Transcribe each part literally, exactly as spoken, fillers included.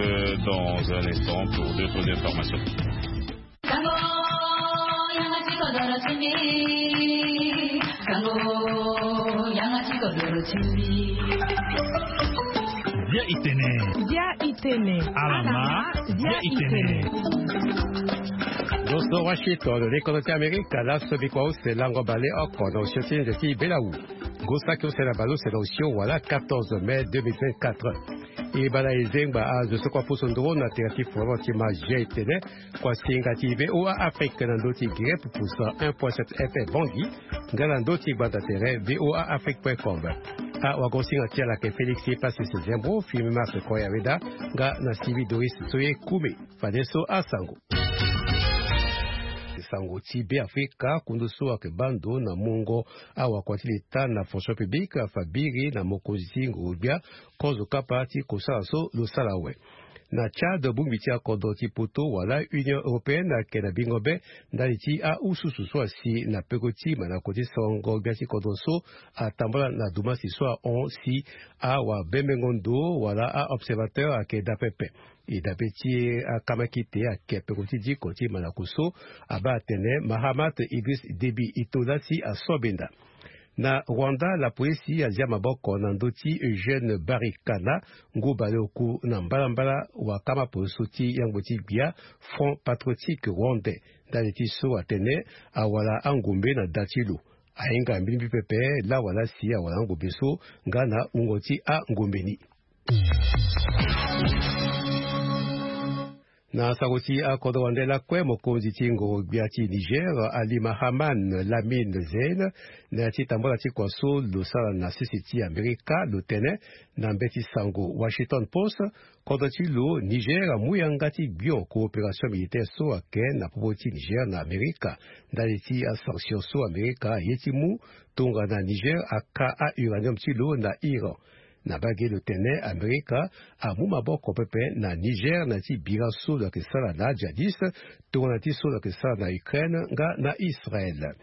Dans un instant pour d'autres informations. Dia itene. Dia itene. Alama. Dia itene. Boso washington lekono ti amerika laso bikua use lango bale oko na osio ti nze ti belawu. Gosaki use na bale use na osio wala quatorze mai deux mille vingt-quatre. E bala e zengba azo so kua pusu nduru na tere ti forum ti ma g itene. Kua singa ti voa afrique na ndö ti gire pupusa un point sept f m bongi. Nga na ndö ti gbanda tere voa afrique point com. Awagosinga ti alake félix e pasi sezembro filme marse koya weda. Nga na sivi doris so ye kume. Fadeso asango. Sango ti be afrika kundu so ayeke bando na mungo awakua ti leta na fonction publique afa biri na mokonzi ti ngoro-gbia. Kozo kapa ti kosala so lo sala awe. Na tchad bongbi ti akodro ti poto wala union européenne ayeke na bingo be ndali ti ahususu so asi na peko ti manako ti songo gbia ti kodro so atambula na dumasi so ahon si awabembengo ndo wala aobservateur ayeke daa pepe. E dabe ti akamakite ayeke peko ti diko ti manako so abaa atene mahamat idris debi ito lasi aso benda. Na rwanda lapolisi azia maboko na ndö ti eugène barikana ngu baleoku na mbalambala wakama poloso ti yangbo ti gbia front patriotique rwandais ndali ti so atene awala angombe na da ti lo. Ahinga mbirimbiri pepe lawala si awala angombe so nga na wungo ti angombe ni. Na sango ti akodro wande lakue mokonzi ti ngoro-gbia ti niger ali mahaman lamine zein na ya ti tambala ti kua so lo sara na sese ti amerika lo tene na mbeti sango washington post. Kodro ti lo niger amu yanga ti gbio coopération militaire so ayeke na popo ti niger na amerika ndali ti asanction so amerika aye ti mu tongana niger aka auranium ti lo na iran. Na bage lo tene amerika amu maboko pepe na niger na ya ti bira so lo yeke sara na ajadis tongana ti so lo yeke sara na ukraine nga na israel.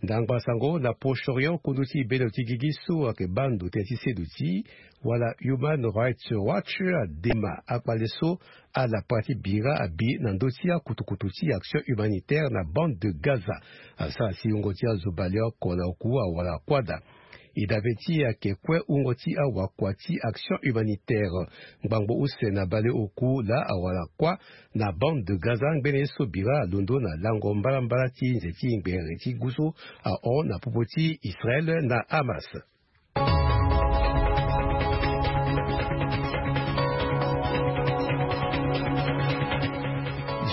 Ndangba sango na proche orient kundu ti bendo ti gigi so ayeke baa ndo tënë ti seduti wala human rights watch adema akpale so ala parti bira abi na ndö ti akutukutu ti action humanitaire na bande de gaza. Asara si wungo ti azo baleoko na oku awala kuâ daa. E dabe ti e ayeke kue wungo ti awakua ti action humanitaire ngbangbo use na baleoku laa awala kuâ na bande de gaza ngbene ye so bira alondo na lango mbalambala ti nze ti ngbere ti gu so ahon na popo ti israel na hamas.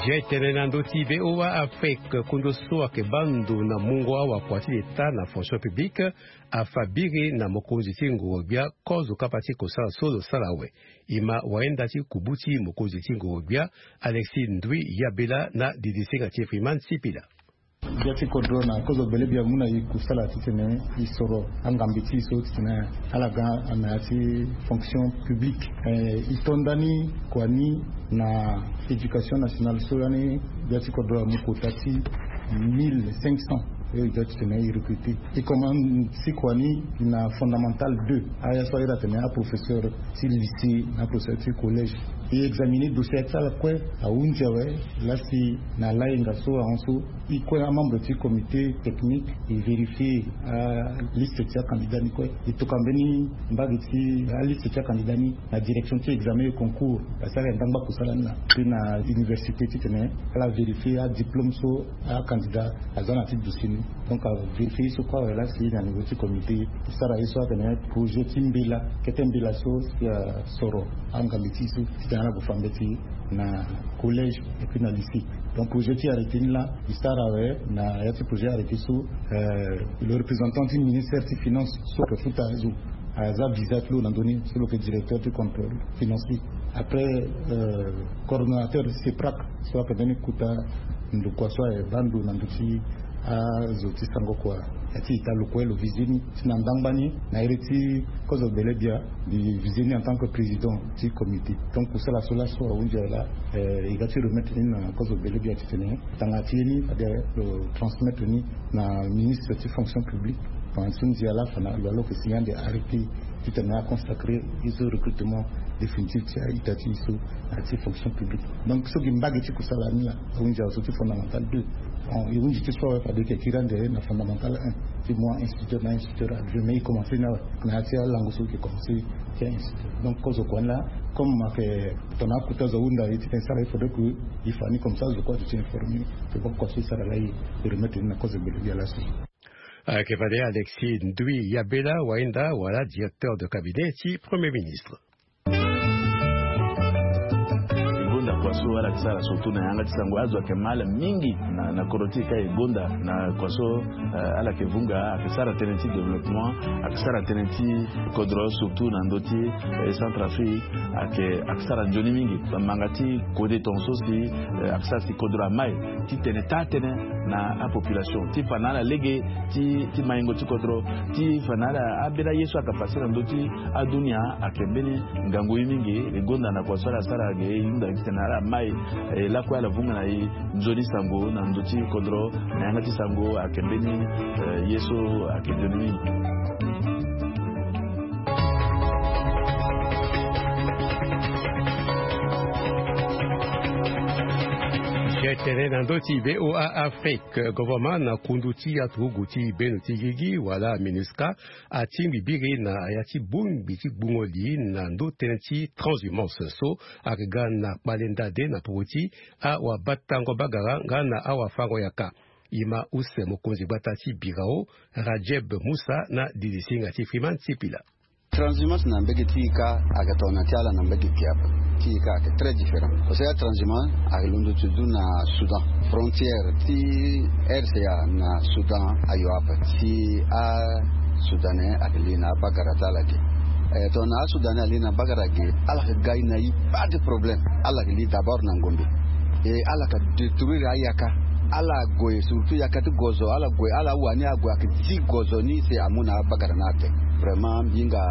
Jai tene na ndö ti voa afrique kundu so ayeke baa ndo na mungo awakua ti leta na fonction publique afa biri na mokonzi ti ngoro-gbia kozo kapa ti kosala so lo sara awe. E ma wayenda ti kubu ti mokonzi ti ngoro-gbia alexis ndui yabela na didisinga ti freeman sipila. Gbia ti kodro na kozo bele bia mu na e kusala titene e soro angambe ti e so titene ala ga na ya ti fonction publique. E to nda ni kua ni na éducation nationale so lani gbia ti kodro amu kota ti mille cinq cents. Oyo e ga titene e recruter e commence si kua ni na fondamental deux. Aya so ayeda tene aprofesseur ti lycée na aprofesseur ti collège. E examiner dossier ti ala kue ahunzi awe. Lasi na layenga so ahon so e kue amembre ti comité technique e vérifier aliste ti acandidat ni kue. E toka mbeni mbage ti aliste ti acandidat ni na direction ti examen et concours. Asara e ndangba kusala ni na puis na université titene ala vérifier adiplôme so acandidat aza na ti dossier ni. Donc avérifier ye so kue awe lasi na niveau ti comité e sara ye so atene projet ti mbela kete mbela so si asoro angambe ti e so titene ala gue fa mbeti na collège et puis na lycée. Donc projet ti arrêté ni laa e sara awe na ya ti projet arrêté so le représentant ti ministère ti finance so ayeke futa azo aza visa ti lo na ndö ni so lo yeke directeur ti contrôle financier. Après coordonnateur ti seprac so ayeke mbeni kota ndokua so aye baa ndo na ndö ti azo ti sango kua. Ya ti ita lo kue lo visite ni si na ndangba ni na iri ti kozo bele bia. Mbi visite ni en tant que président ti comité. Donc kusala so laso ahunzi awe laa e ga ti remettre ni na kozo bele bia titene tanga ti ye ni fade lo transmettre ni na ministre ti fonction publique. Tanga ti ndia laa fa na lo alo yeke signer ande arrêté titene aconsacrer ye so recrutement Définitif ti a-ita ti e so na ti fonction publique. Donc so gi mbage ti kusala ni la, ahunzi azo ti fondamental deux. E hunzi ti so awe fade e yeke kiri ande na fondamental un ti mu a-instituteur na a-instituteur adjoint, mais e commencer ni awe na ya ti alango so e yeke commencer ti a-instituteur. Donc kozo kua ni la, comme ayeke tongana akota zo ahunda ye ti tene sara, il faudrait que e fa ni comme ça zo kue azo ti informer. C'est pourquoi so e sara laa e remettre ni na kozo gbele gi ya laso. Ayeke fade Alexis Ndui Yabela, wahinda wala directeur de cabinet ti Premier ministre. E gonda kua so ala yeke sara surtout na yanga ti sango, azo ayeke mal mingi na, na kodro ti e ka. E gonda na kua so, eh, ala yeke vunga, ayeke sara tënë ti développement, ayeke sara tënë ti kodro surtout na ndö ti, eh, Centrafrique, ayeke, ayeke sara nzoni mingi. Bamanga ti kode tongaso si, eh, ayeke sara si kodro amai ti tene taa tënë na apopulation, ti fa na ala lege ti, ti maingo ti kodro, ti fa na ala ambeni aye so ayeke pase na ndö ti adunia. Ayeke mbeni ngangu ye mingi. E gonda na kua so ala sara ge, e hunda titene ala mai, eh, lakue ala vunga na e nzoni sango na ndö ti kodro, na yanga ti sango ayeke mbeni, eh, ye so ayeke nzoni mingi. Ge tene na ndö ti VOA Afrique, gouvernement na kundu ti aturugu ti beno ti gigi wala MINUSCA atingbi biri na ya ti bongbi ti gbungo li na ndö tënë ti transhumance so ayeke ga na kpale ndade na poko ti awabatango bagara nga na awafango yaka. E ma use mokonzi gbata ti birao Radjeb Moussa na didisinga ti Freeman Sipila. Transhumance na mbege ti e ka ayeke tongana ti ala na mbege gi ape. Ti e ka ayeke très différent. Parce que atranshumance ayeke londo ti du na Soudan. Frontière ti RCA na Soudan ayo ape. Si asoudanais ayeke li na abagara ti ala ge. Eh, tongana asoudanais ali na abagara ge, ala yeke ga e na e pas de problème. Ala yeke li d'abord na ngombe. E ala yeke détruire ayaka. Ala gue surtout yaka ti gozo, ala gue, ala wani ague ayeke zi gozo ni si amu na abagara ni ate. Vraiment mbi hinga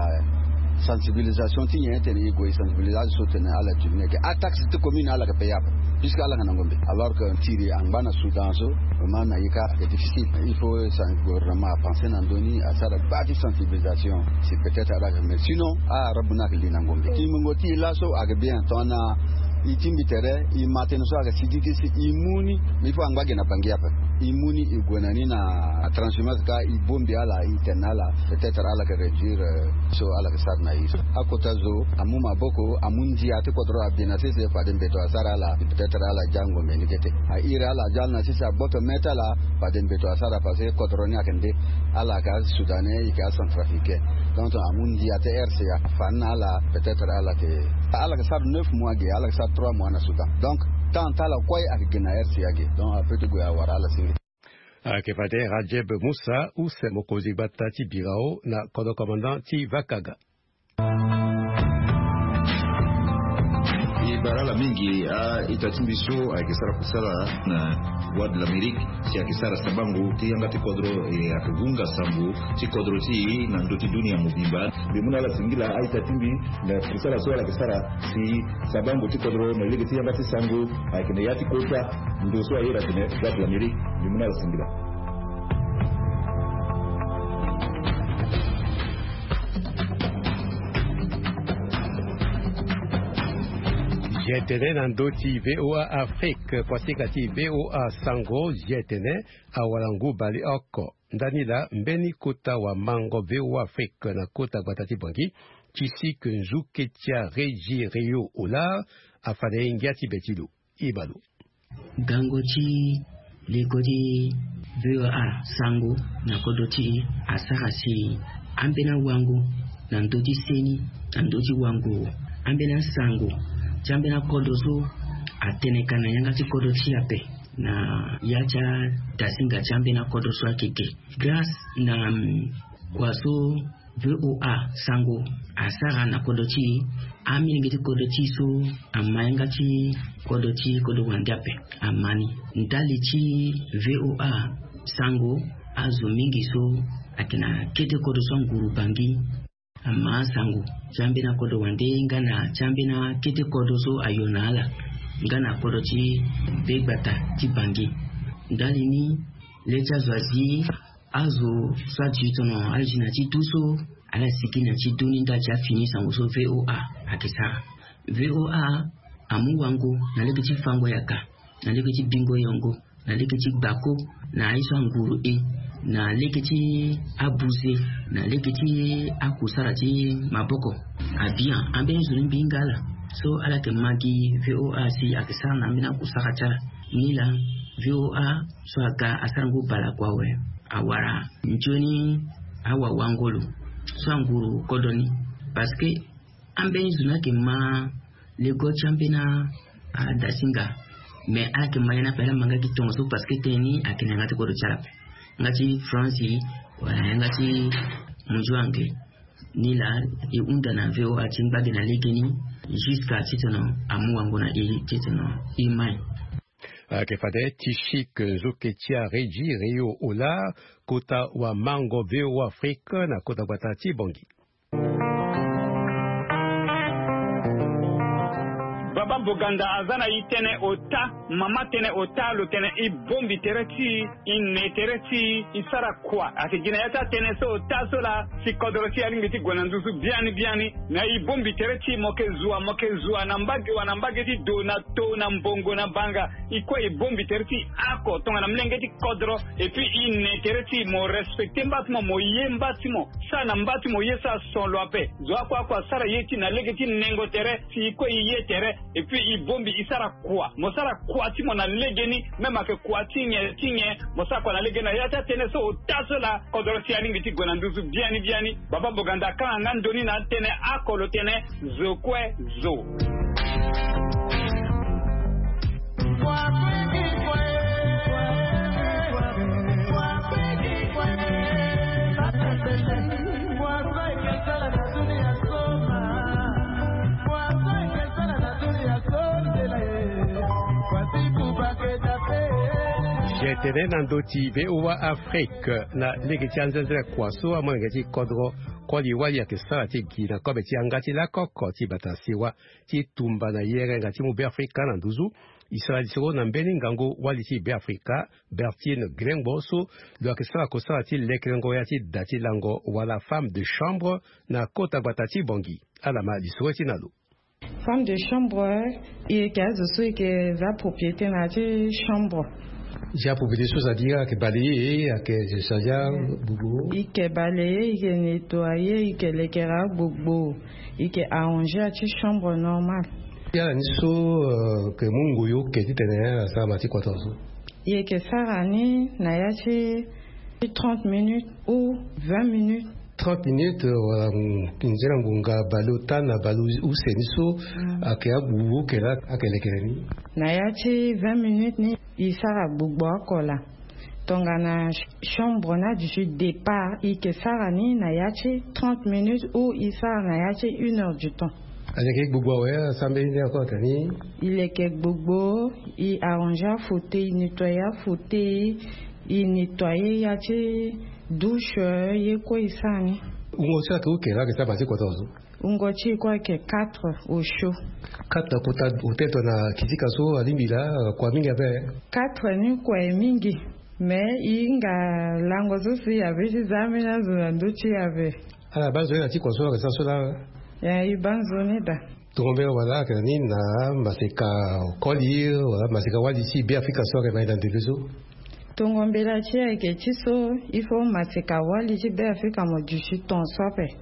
sensibilisation ti nyen tene e gue e sensibiliser azo so tene ala diminuer ke. Ataxe ti commune ala yeke payer ape. Puisque ala yeke na ngombe. Alors que tiri angba na Soudan so, vraiment na e ka ayeke difficile. Il faut gouvernement apenser na ndö ni, asara baa ti sensibilisation. Si peut-être ala yeke, mais sinon, ah, arabu ni ayeke li na ngombe. Ti mungo ti e laso ayeke bien, tongana e tingbi tere, e ma tënë so ayeke sigi ti si e mu ni, mais il faut angba ge na Bangui ape. E mu ni e gue na ni na transhumance ka e bongbi ala, e tene na ala, peut-être ala yeke réduire, euh, so ala yeke sara na e so. Akota zo amu maboko, amu ndia ti kodro abie na sese, fade mbeto asara ala, peut-être ala ja ngombe ni kete. A iri ala ja na sese agboto me ti ala, fade mbeto asara parce que kodro ni ayeke nde. Ala yeke asoudanais, e yeke acentrafricain. Donc amu ndia ti RCA, fa ni na ala, peut-être ala yeke, ala yeke sara neuf mois ge, ala yeke sara trois mois na Soudan. Donc temps ti ala kue ayeke ge na RCA ge. Donc apeut ti gue awara ala senge. Ayeke fade Radjeb Moussa, use mokonzi gbata ti birao na kodro commandant ti Vakaga. E bara ala mingi a-ita ti mbi so ayeke sara kusala na Voix de l'Amérique, si ayeke sara sabango ti yanga ti kodro, e ayeke vunga sango ti kodro ti e na ndö ti dunia mobimba. Mbi mu na ala singila a-ita ti mbi na kusala so ala yeke sara si sabango ti kodro na lege ti yanga ti sango ayeke na ya ti kota ndo so ayeke atene Voix de l'Amérique. Mbi mu na ala singila. Zietene na ndö ti VOA Afrique, kuasinga ti VOA Sango, zietene awara ngu baleoko. Ndani laa mbeni kota wamango VOA Afrique na kota gbata ti Bangui ti si ke nzu ketia Régis Réau Olar afa na e ngia ti be ti lo. Ibalo. Gango ti leko ti VOA Sango na kodro ti e asara si ambeni awango na ndö ti seni, na ndö ti wango ambeni asango ti ambeni akodro so atene ka na yanga ti kodro ti e ape. Na ya ti adasinga ti ambeni akodro so ayeke ge grâce na, mm, kua so VOA Sango asara na kodro ti e, amilenge ti kodro ti e so ama yanga ti kodro ti kodro wande ape ama ni. Ndali ti VOA Sango, azo mingi so ayeke na kete kodro so anguru Bangui ama asango ti ambeni akodro wande nga na ti ambeni akete kodro so ayo na ala nga na kodro ti begbata ti Bangui. Ndali ni, le ti azo azi azo so adi tono adi na ti du so Ala sigi na ti doni nda ti afini sango so VOA ayeke sara. VOA amu wango na lege ti fango yaka, na lege ti bingo yongo, na lege ti gbako, na aye so anguru e, na lege ti abuze, na lege ti akusara ti maboko. Abian ambeni zo ni mbi hinga ala. So ala yeke ma gi VOA si ayeke sara na ambeni akusara ti ala. Nilaa VOA so aga asara ngu baleoko awe, awara nzoni awawangolo so anguru kodro ni. Parce que ambeni zo ni ayeke ma lego ti ambeni adasinga. Mais ala yeke ma ye ni ape, ala ma nga gi tongaso parce que tënë ni ayeke na yanga ti kodro ti ala ape, yanga ti France wala yanga ti munzu anglais. Nilaa e hunda na VOA ti ngba gi na legeni jusqu'à titene amu wango na e titene e mai. Ayeke fade ti chic nzoke ti areji Rio Ola, kota wamango VOA Afrique na kota gbata ti Bongi. Baba Boganda aza na e tënë ota, mama tënë ota, lo tene e bombi tere ti e, e ne tere ti e, e sara kua? Ayeke gi na ya ti atënë so ota so laa si kodro ti e alingbi ti gue na nduzu biani biani. Na e bombi tere ti e, mo yeke zua, mo yeke zua na mbage wa na mbage ti do na to na mbongo na banga. E kue e bombi tere ti e oko tongana molenge ti kodro. Et puis e ne tere ti e, mo respecte mba ti mo, mo ye mba ti mo. Sara na mba ti mo ye so ason lo ape. Zo oko oko asara ye ti e na lege ti nengo tere si e kue e ye tere. Et puis e bombi e sara kua. Mo sara kua ti mo na legeni, même ayeke kua ti nyen ti nyen, mo sara kua na legeni. Na ya ti atënë so ota so laa kodro ti e alingbi ti gue na nduzu biani biani. Baba Boganda akanga nga ndo ni na atënë oko, lo tene zo kue zo. Je tene na ndö ti VOA Afrique na lege ti anzenze kua so amolenge ti kodro koli wali ayeke sara ti gi na kobe ti yanga ti lakoko ti bata sewa ti tumba na yere nga ti mu Beafrika na nduzu. E sara lisoro na mbeni ngangu wali ti Beafrika, Bertine Grengbo, so lo yeke sara kosara ti lekerengo ya ti da ti lango wala femme de chambre na kota gbata ti Bongi. Ala ma lisoro ti na lo. Femme de chambre, e yeke azo so e yeke za propriété na ya ti chambre. Za propriété so, c'est-à-dire ayeke balayer, ayeke changer agbogbo. E yeke balayer, e yeke nettoyer, e yeke lekere agbogbo, e yeke arranger ya ti chambre normal. Ya na ni so, euh, yeke mu ngoi oke titene asara ma ti kota so? E yeke sara ni na ya ti trente minutes ou vingt minutes. Trente minutes, euh, wala, mm, nzena ngonga baleota na baleuse ni so, mm, ayeke agbogbo oke laa ayeke lekere ni. Na ya ti vingt minutes ni e sara gbogbo oko laa. Tongana ch-, chambre ni aduti départ, e yeke sara ni na ya ti trente minutes ou e sara na ya ti une heure du temps. Ayeke gbogbo awe, asara mbeni nde encore tani? E leke gbogbo, e arranger afauteuil, e nettoyer afauteuil, e nettoyer ya ti douche, ye kue e sara ni. Wungo so ayeke oke laa ayeke sara ma ti kota so? Wungo ti e kue ayeke quatre au chaud. Quatre na kota hotel to na kitika so alingbi laa, kua mingi ape? Quatre ni kua e mingi. Mais e hinga lango so si e abi ti za ambeni azo na ndö ti e ape. Ala baa nzoni na ti kua so ayeke sara so laa? Ya, e baa nzoni daa. Tongo mbela wala ayeke na ni na maseka koli wala maseka wali ti Beafrika so ayeke ma e na ndembe so? Tongo mbela ti e ayeke ti so, il faut maseka wali ti Beafrika mo duti tongaso ape.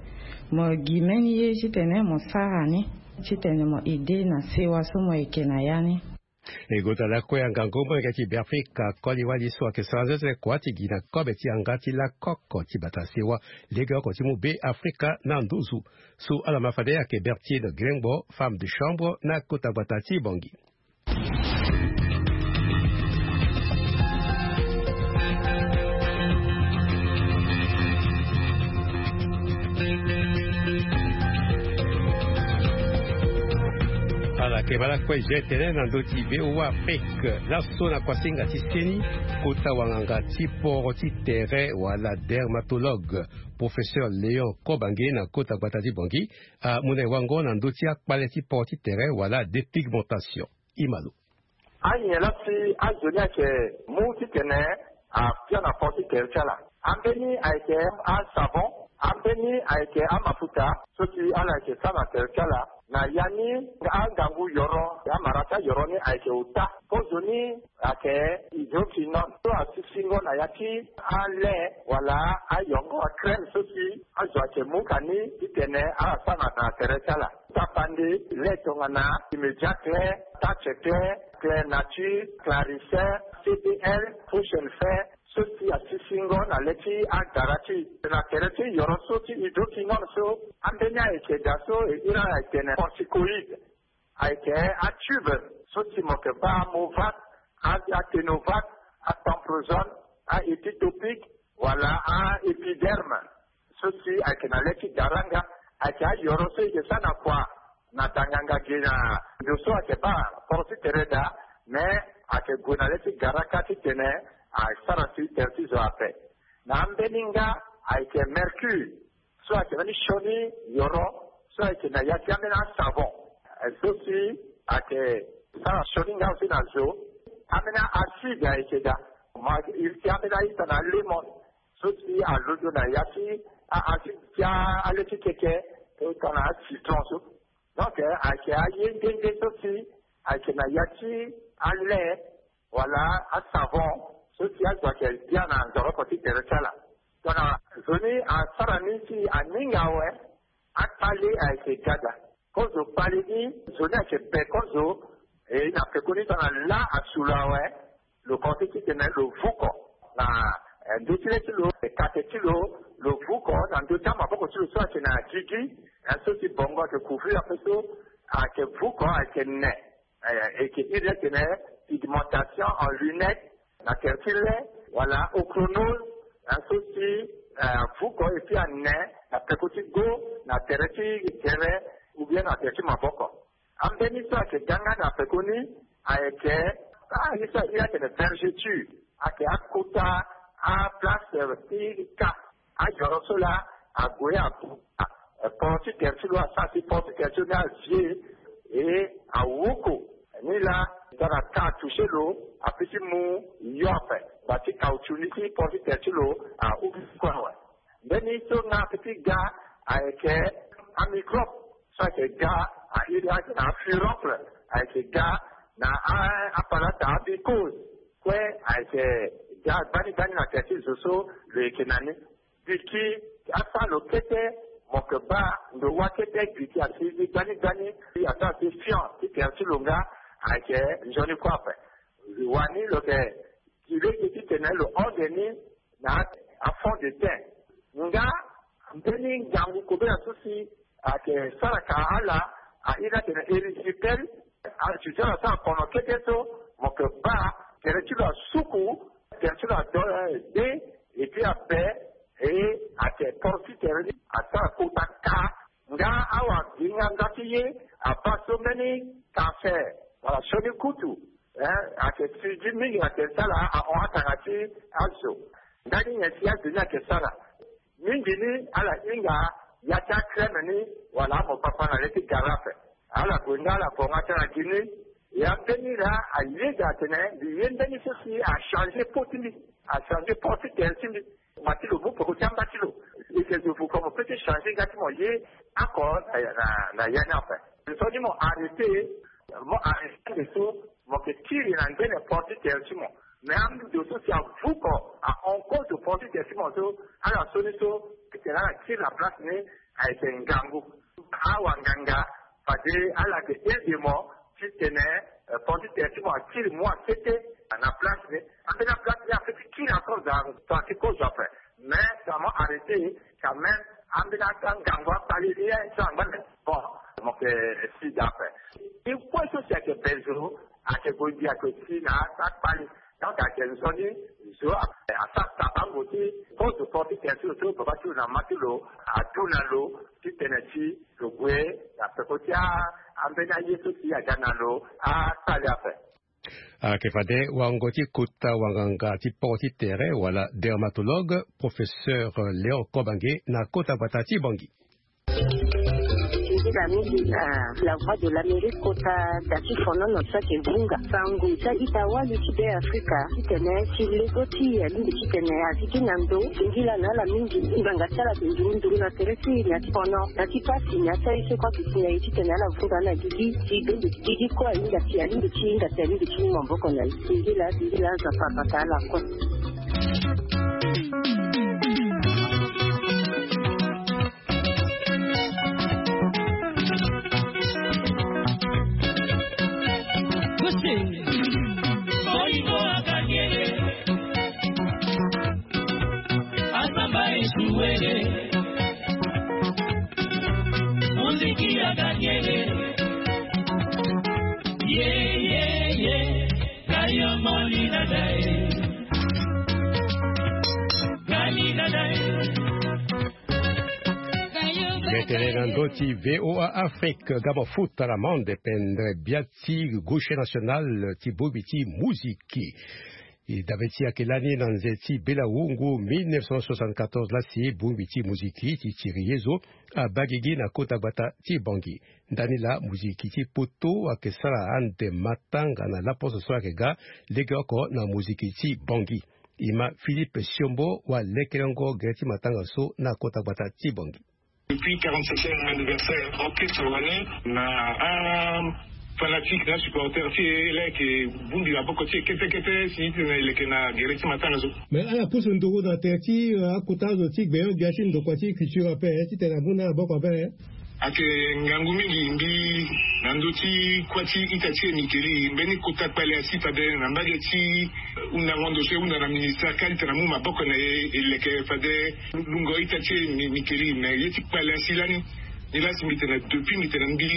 Mo gi mbeni ye titene mo sara ni, titene mo aider na sewa so mo yeke na ya ni. E gota lakue angangu molenge ti Beafrika koli wali so ayeke sara nzenze kua ti gi na kobe ti yanga ti lakoko ti bata sewa legeoko ti mu Beafrika na nduzu. So ala ma fade ayeke Bertine Grengbo, femme de chambre na kota gbata ti Bongi. Ala yeke ma lakue je tene na ndö ti VOA Afrique. Laso na kuasinga ti seni, kota wanganga ti poro ti tere wala dermatologue, professeur Léon Kobange na kota gbata ti Bongi, amu na e wango na ndö ti akpale ti poro ti tere wala dépigmentation. Imalo. Anyen laa si azo ni ayeke mu titene abia na poro ti tere ti ala. Ambeni ayeke asavon, Ambeni ayeke amafuta so si ala yeke sara na tere ti ala. Na ya ni, angangu yoro, amara ti ayoro ni ayeke ota. Kozo ni ayeke hydroquinone so asisingo na ya ti ale wala ayongo, acrème so si azo ayeke mu ka ni titene ala sara na tere ti ala. Tapande le tongana Immédiat Clair, Touch Clair, Clair Nature, Clarissin, C P L, Potion Fair, so si asisingo na le ti agara ti e. Na tere ti yoro so ti hydroquinone so, ambeni ayeke daa so e iri ala tene corticoïde. Ayeke atube so si mo yeke baa Movat, a- aténovat, atamprozone, aépitopique, wala aépiderme. So si ayeke na le ti gara nga, ayeke ayoro so e yeke sara na kua na danganga ge na ndo so ayeke baa poro ti tere daa, me ayeke gue na le ti gara kâ titene asara si tere ti zo ape. Na ambeni nga, ayeke mercure so ayeke mbeni sioni yoro so ayeke na ya ti ambeni asavon, eh, so si ayeke sara sioni nga aussi na zo. Ambeni acide ayeke daa, ma iri ti ambeni aita na lemon so si alondo na ya ti a- acide ti a- ale ti keke, tongana acitron so. Donc, eh, ayeke aye nde nde so si ayeke na ya ti ale wala asavon so si azo ayeke dia na nzoroko ti tere ti ala. Tongana zo ni asara ni si aninga awe, akpale ayeke ga daa. Kozo kpale ni, zo ni ayeke be kozo, e na pekoni tongana lâ asu lo awe, lo kozo ti tene lo vuko na, eh, ndö ti le ti lo, eh, kate ti lo, lo vuko na ndö ti amaboko ti lo so ayeke na gigi, eh, so si bongo ayeke couvrir ape so, ayeke vuko, ayeke ne, eh, e yeke iri atene pigmentation en lunette, na tere ti le, wala ochronose, eh, so si, eh, avuko et puis ane na peko ti go, na tere ti gere, ou bien na tere ti maboko. Ambeni so ayeke ga nga na pekoni, ayeke, ah, ye so aye atene vergeture, ayeke akota aplace ti ka. Ayoro so laa ague abuka, eh, poro ti tere ti lo, asara si poro ti tere ti lo ni avie, e awuku. Ni laa tongana ka atoucher lo, ape ti mu yo ape, ngba ti caoutchouc ni ti poro ti tere ti lo ahuku awe. Mbeni so nga ape ti ga, ayeke amicrobe so ayeke ga, airi ayeke na afuroncle, ayeke ga na a- apalata, amicose kue, ayeke ga gbani gbani na tere ti zo so lo yeke na ni. Giki asara lo kete, mo yeke baa ndo wâ kete giki asi ni gbani gbani, asara si fion ti tere ti lo nga, ayeke nzoni kue ape. Wani lo yeke gi lege titene lo hon ge ni na afond de teint. Nga mbeni ngangu kobela so si ayeke sara ka ala, airi atene erysipelas, azo ti ala asara kono kete so, mo yeke baa tere ti lo asuku, tere ti lo ado, eh, de, et puis abe, e ayeke poro ti tere ni asara kota ka. Nga awa gi nga nga ti ye, abaa so mbeni cancer wala sioni kutu, eh, ayeke sigi mingi na tere ti ala, ahon atanga ti azo. Ndani nyen si azo ni ayeke sara? Mingi ni ala hinga ya ti acrème ni wala amopapa na le ti gara ape. Ala gue nga ala bonga tënë na gi ni. Ya mbeni laa ayeda atene mbi ye mbeni so si achanger peau ti mbi, achanger poro ti tere ti mbi. Ngba ti lo mu peko ti amba ti lo. E yeke zo vuko mo peut ti changer nga ti mo ye oko na, na, na ya ni ape. Nzoni mo arrêter, mo arrêter ande so mo yeke kiri na ngbene poro ti tere ti mo. Mais ando so si avuko, ahon kozo poro ti tere ti mo so, ala so ni so, titene ala kiri na place ni, ayeke ngangu. Awa nganga, fade ala yeke aide mo titene, eh, poro ti tere ti mo akiri mua kete na place ni. Ambeni aplace ni apeut ti kiri encore daa, tongana ti kozo ape. Mais tongana mo arrêter, quand même, ambeni ata ngangu akpale ni, eh, so angba na bon, mo yeke si daa ape. Ti kue so si ayeke be zo, ayeke gue gi, ayeke si na ata akpale. Donc ayeke nzoni zo a- asara tabango ti kozo poro ti tere ti lo so baba ti lo na mama ti lo adu na lo titene ti lo gue na peko ti a- ambeni aye so si aga na lo akpale ape. Ayeke fade wango ti kota wanganga ti poro ti tere wala dermatologue, professeur Léon Kobange na kota gbata ti Bangui. Mingi na la voix de l'Amérique kota da ti fonono so ayeke vunga sango ti a-ita wali ti Be Afrika titene ti lego ti e alingbi titene azi gi na ndo. Singila na ala mingi ngbanga ti ala ayeke nduru nduru na tere ti e na ti fono na ti pasi na ya ti aye so kue ayeke si na e titene ala vunga na gigi ti bembe ti gigi kue ahinga si alingbi ti hinga si alingbi ti mu maboko na e. Singila singila Nzapa abata ala kue. Mbi tene na ndö ti V O A Afrique, ga mafuta na mande pendere bia ti gauche national ti bongbi ti muziki. E dabe ti ayeke lani na nze ti bela wungu mille neuf cent soixante-quatorze lasi bongbi ti muziki ti tiri ye zo abaa gigi na kota gbata ti Bangui. Ndani laa muziki ti poto ayeke sara ande matanga na laposo so ayeke ga legeoko na muziki ti Bangui. E ma Philippe Siombo wa lekerengo gere ti matanga so na kota gbata ti Bangui. Depuis quarante-septième anniversaire orchestre wani na a fanatique na supporter ti e laa ayeke bongbi maboko ti e kete kete si titene e leke na gere ti matanga so. Mais ala pusu nduru na tere ti akota azo ti gbenyo-gbia ti ndokua ti culture ape titene amu na maboko ape. Ayeke ngangu mingi mbi na ndö ti kuâ ti ita ti e Mickey Lee mbeni kota kpale asi fade na mbage ti hundango ndo so e hunda na ministère kâ titene amu maboko na e e leke fade lungo ita ti e Mickey Lee. Mais ye ti kpale asi lani ni laa si mbi tene depuis mbi tene mbi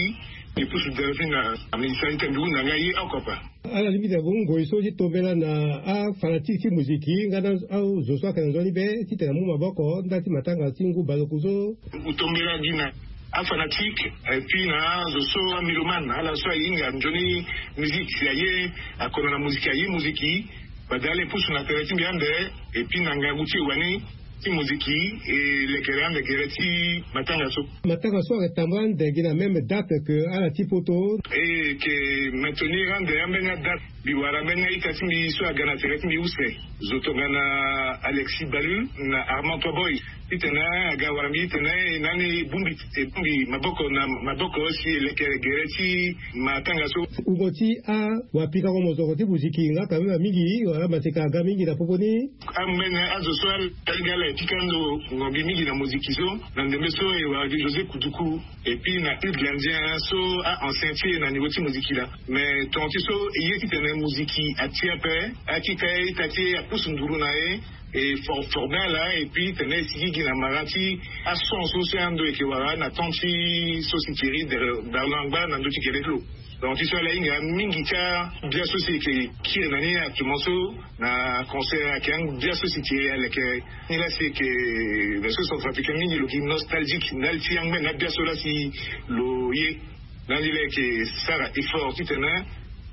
mbi pusu delphine na ministère ni tene mbi hunda nga ye oko ape. Ala lingbi tene ngoi so ti tombela na afanatique ti muziki nga na azo so ayeke na nzoni be titene amu maboko ndali ti matanga ti ngu baleoku so. Tombela gi na afanatique et puis na azo so amélomane ala so ahinga nzoni musique si aye akono na muziki aye muziki. Fade ala e pusu na tere ti mbi ande et puis na ngangu ti e wani ti moziki e lekere ande gere ti matanga so. Matanga so ayeke tambula ande gi na même date que ala ti poto. E yeke maintenir ande ambeni adate mbi wara ambeni aita ti mbi so aga na tere ti mbi use zo tongana Alexis Balu na Armand Toboy titene aga wara mbi titene e nani e bongbi e bongbi maboko na maboko si e lekere gere ti matanga so. Wungo ti awapika mozoko ti moziki nga ka mema mingi wala maseka aga mingi na popo ni. Ambeni azo so ala ita ti mbi ala e pika ndo ngombi mingi na moziki so na ndembe so e wara gi José Kuduku et puis na Hugues Landien so a ancien ti e na niveau ti moziki laa. Mais tonga ti so e ye titene moziki atia ape akika ye ita ti e apusu nduru na e e for forme ala et puis tene e sigi gi na mara ti ason so si ando e yeke wara na temps ti so si Thierry Berlin angba na ndö ti gere ti lo. Donc ti so ala hinga mingi ti abia so si e yeke kiri na ni actuellement so na concert ayeke angbia so si ti e aleke ni laa si e yeke version centrafricaine mingi lo gi nostalgique ndali ti angbene abia so laa si lo ye. Ndali laa e yeke sara effort titene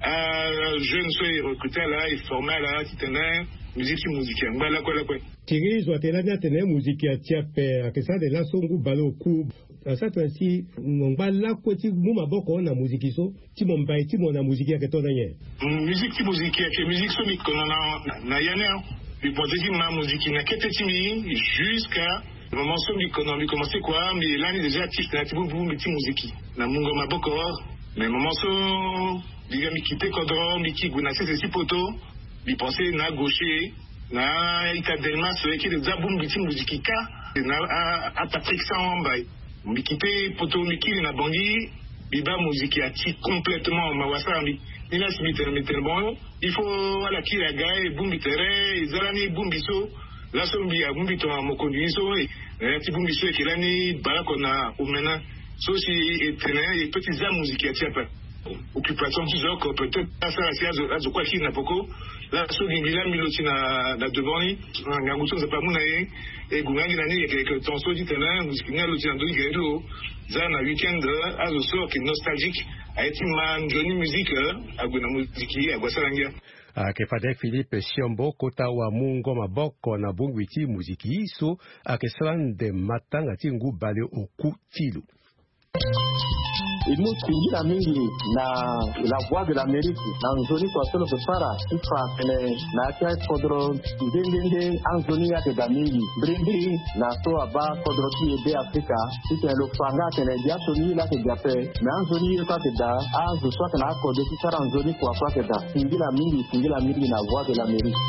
ajeune so e recrute ala e forme ala titene musique ti moziki angba lakue lakue. Thierry zo atene lani atene moziki atia ape ayeke sara de laso ngu baleoku. Asara tongana si mo ngba lakue ti mu maboko na moziki so ti mo mbai ti mo na moziki ayeke to na nyen? Musique ti moziki ayeke musique so mbi kono na na ya ni. Mbi pense ti ma moziki na kete ti mbi jusqu'à moment so mbi kono mbi commence kua mbi lani déjà actif na ya ti bongbi ti moziki na mungo maboko. Mais moment so mbi ga mbi kite kodro mbi ki gue na sese ti poto. Mbi pense na gaucher na ita Delmas so e kiri za bongbi ti moziki kâ na apatrick san wamba. Mbi kite poto mbi kiri na Bangui mbi baa moziki ati complètement mawa sara mbi. Ni laa si mbi tene mbi tene bon il faut ala kiri aga e bongbi tere e za lani bongbi so. Laso mbi abongbi tongana mokonzi ni so e na ya ti bongbi so e yeke lani baleoko na omena so si e tene e peut ti za moziki ati ape. Occupation ti zo oko peut-être asara si azo kue akiri na poko. Laso gi mbi laa mbi lo ti na devant ni na ngangu so Nzapa amu na ye. E gue nga gi na ni yeke yeke temps so ti tene moziki ni alo ti na ndö ti gere ti lo. Za na week-end azo so ayeke nostalgique aye ti ma nzoni musique ague na moziki ague asara ngia. Ayeke fade Philippe Siombo kota wamungo maboko na bongbi ti moziki so ayeke sara nde matanga ti ngu baleoku ti lo. E mu singila mingi na La Voix de l'Amérique na nzoni kua so lo yeke sara ti fa atene na ya ti akodro nde nde nde anzoni ye ayeke daa mingi. Mbirimbiri na so abaa kodro ti e Be Afrika, titene lo fa nga atene biaso ni ye laa ayeke daa ape, me anzoni ye kue ayeke daa, azo so ayeke na akode ti sara nzoni kua kue ayeke daa. Singila mingi, singila mingi na Voix de l'Amérique.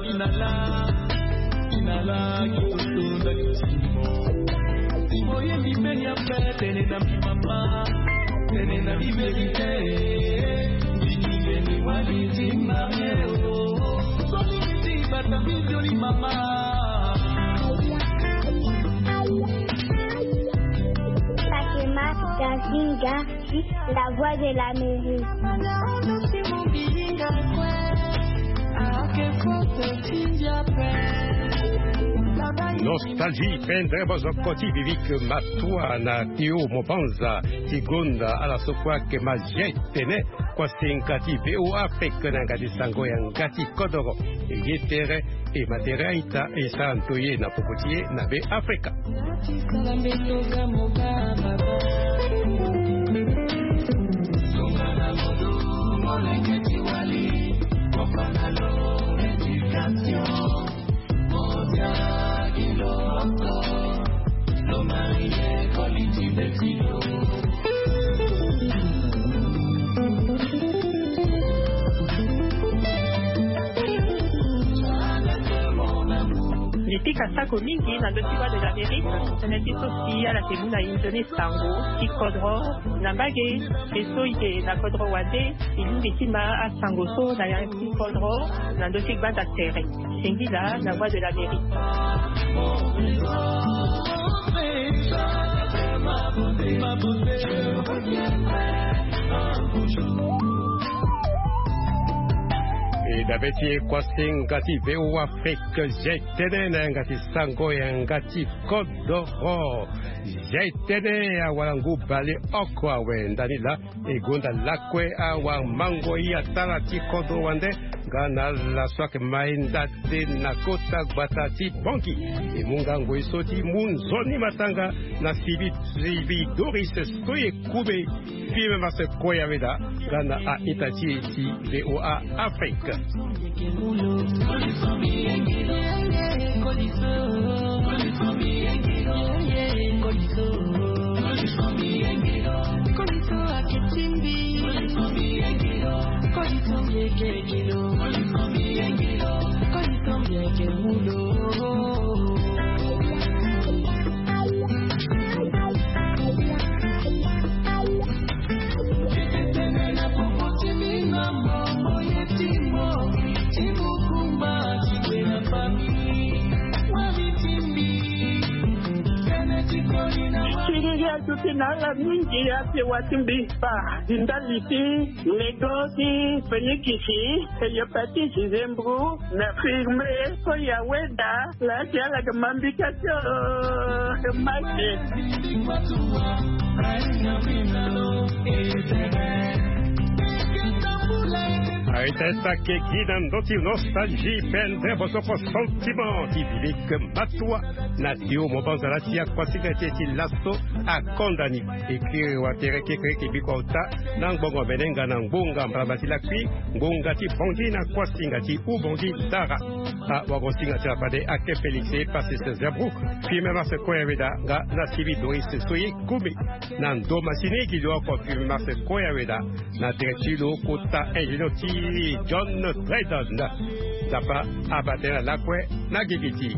Inala, inala, kitutu ndaki timo. Timo ye mibeni ape, tene na mi mama, tene na mi beni te. Ndini beni wali ti mame o. Soli ti bata mi joli mama. Sakema Gazinga. La Voix de l'Amérique. Nostalgie, pendere bozoko ti Vivik Matua na Théo Mobanza ti gonda ala so kue ayeke ma G T N, kua senga ti V O A Afrique na yanga ti sango yanga ti kodoro. Ye tere e ma tere a-ita e sara ndoye na poko ti e na Be Afrika. Mbi pika sako mingi na ndö ti Voix de l'Amérique, tënë ti so si ala yeke mu na inzo ni sango ti kodro na mbage. Mbi so e yeke na kodro wande, e lingbi ti ma asango so na ya ti kodro na ndö ti gbanda tere. Singila na Voix de l'Amérique. E dabe ti e kua senga ti V O A Afrique, G T N na yanga ti sango yanga ti kodoro. G T N, awara ngu bale oko awe ndani laa. E gonda lakue awamango ye atara ti kodro wande nga na ala so ayeke ma e ndade na kota gbata ti Bangui. E mu nga ngoi so ti mu nzoni matanga na sivi, sivi Doris so e kume. Fimem ase kue ya weda nga na a-ita ti e ti V O A Afrique. Ti ngia duti na ala mingi, ape wa ti mbi fa di ndali ti lego ti fenikisi, hépatite, zembro, na firme, so ya weda. Laa ti ala yeke ma mbika ti o, yeke ma ke. Aye, testa ke gi na ndö ti nostalgie, pendere bosoko sentiment ti Vivik Matua na Théo Mobanza laa ti akuasinga ti e ti laso akonda ni. E kiri watere kekereke biko ota na ngbongo mene nga na ngbonga mbalambala ti lakui, ngbonga ti Bangui na kuasinga ti Oubangui Dara. Awagosinga ti la fade ake Félix e pasi se zebro. Fimem ase kue ya weda nga na sivi Doris so ye kume. Na ndo masini gi lo oko fimem ase kue ya weda na tere ti lo kota ingénieur ti John Dryden. Nzapa abaa tënë na lakue na gigi ti